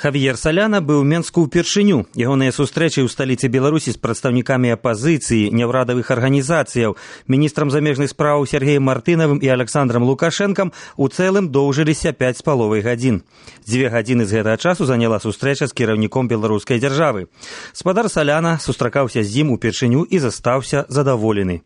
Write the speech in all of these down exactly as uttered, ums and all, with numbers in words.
Хавьер Саляна быў у Менску ўпершыню. Ягоныя сустрэчы ў сталіцы Беларусі з прадстаўнікамі апазіцыі, няўрадавых арганізацыяў, міністрам замежных спраў Сергеем Мартынавым і Александром Лукашэнкам у цэлым доўжыліся пяць з паловай гадзін. Дзве гадзіны з гэтага часу заняла сустрэча з кіраўніком беларускай дзяржавы. Спадар Саляна сустракаўся з ім упершыню і застаўся задаволены.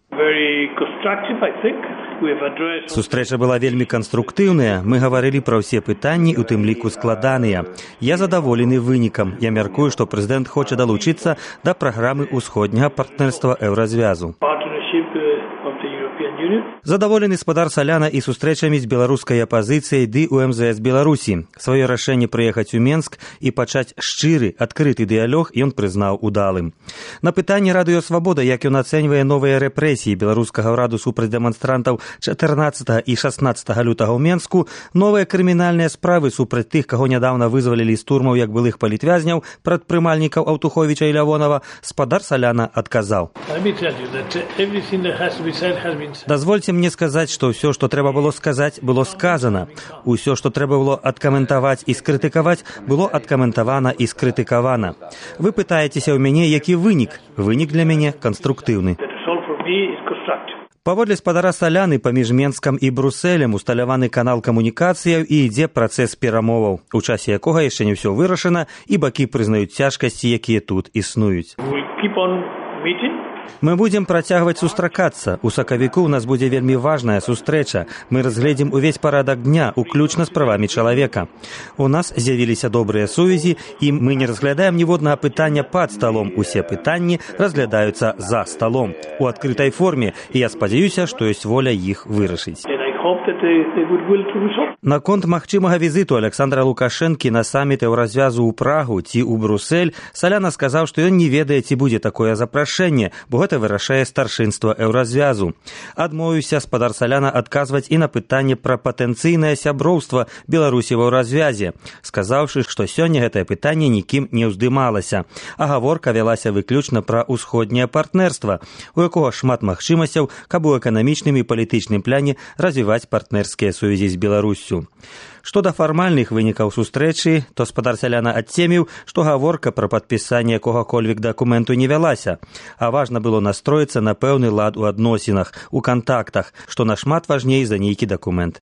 Сустрэча была вельмі канструктыўная. Мы гаварылі пра ўсе пытанні, у тым ліку складаныя. Я задаволены вынікам. Я мяркую, што прэзідэнт хоча далучыцца да праграмы ўсходняга партнерства Еўразвязу. Задаволены спадар Саляна і сустрэчамі з беларускай апазіцыяй ды у эм зэ эс Беларусі. Сваё рашэнне прыехаць у Менск і пачаць шчыры, адкрыты дыялог ён прызнаў удалым. На пытанне Радыё Свабода, як ён ацэньвае новыя рэпрэсіі беларускага ўраду супраць дэманстрантаў чатырнаццатага і шаснаццатага лютага ў Менску, новыя крымінальныя справы супраць тых, каго нядаўна вызвалілі з турмаў як былых палітвязняў, прадпрымальнікаў Аўтуховіча і Лявонава, спадар Саляна адказаў. Дазвольце мне сказаць, што ўсё, што трэба было сказаць, было сказана. Усё, што трэба было адкаментаваць і скрытыкаваць, было адкаментавана і скрытыкавана. Вы пытаецеся ў мяне, які вынік? Вынік для мяне канструктыўны. Паводле спадара Саляны паміж Менскам і Брусэлем усталяваны канал камунікацыяў і ідзе працэс перамоваў, у часе якога яшчэ не ўсё вырашана і бакі прызнаюць цяжкасці, якія тут існуюць. Мы будзем працягваць сустракацца. У сакавіку ў нас будзе вельмі важная сустрэча. Мы разгледзім увесь парадак дня, уключна з правамі чалавека. У нас з'явіліся добрыя сувязі, і мы не разглядаем ніводнага пытання пад сталом. Усе пытанні разглядаюцца за сталом, у адкрытай форме, і я спадзяюся, што ёсць воля іх вырашыць. Наконт магчымага візіту Александра Лукашэнкі на саміт Еўразвязу ў Прагу ці ў Брусэль, Саляна сказаў, што ён не ведае, ці будзе такое запрашэнне, бо гэта вырашае старшынства Еўразвязу. Адмовіўся спадар Саляна адказваць і на пытанне пра патэнцыйнае сяброўства Беларусі ва Еўразвязе, сказаўшы, што сёння гэтае пытанне нікім не ўздымалася, а гаворка вялася выключна пра ўсходняе партнерства, у якога шмат магчымасцяў, каб у эканамічным і палітычным пляне развіваць партнерскія сувязі з Беларуссю. Што да фармальных вынікаў сустрэчы, то спадар Саляна адцеміў, што гаворка пра падпісанне якога-кольвек дакументу не вялася, а важна было настроіцца на пэўны лад у адносінах, у кантактах, што нашмат важней за нейкі дакумент.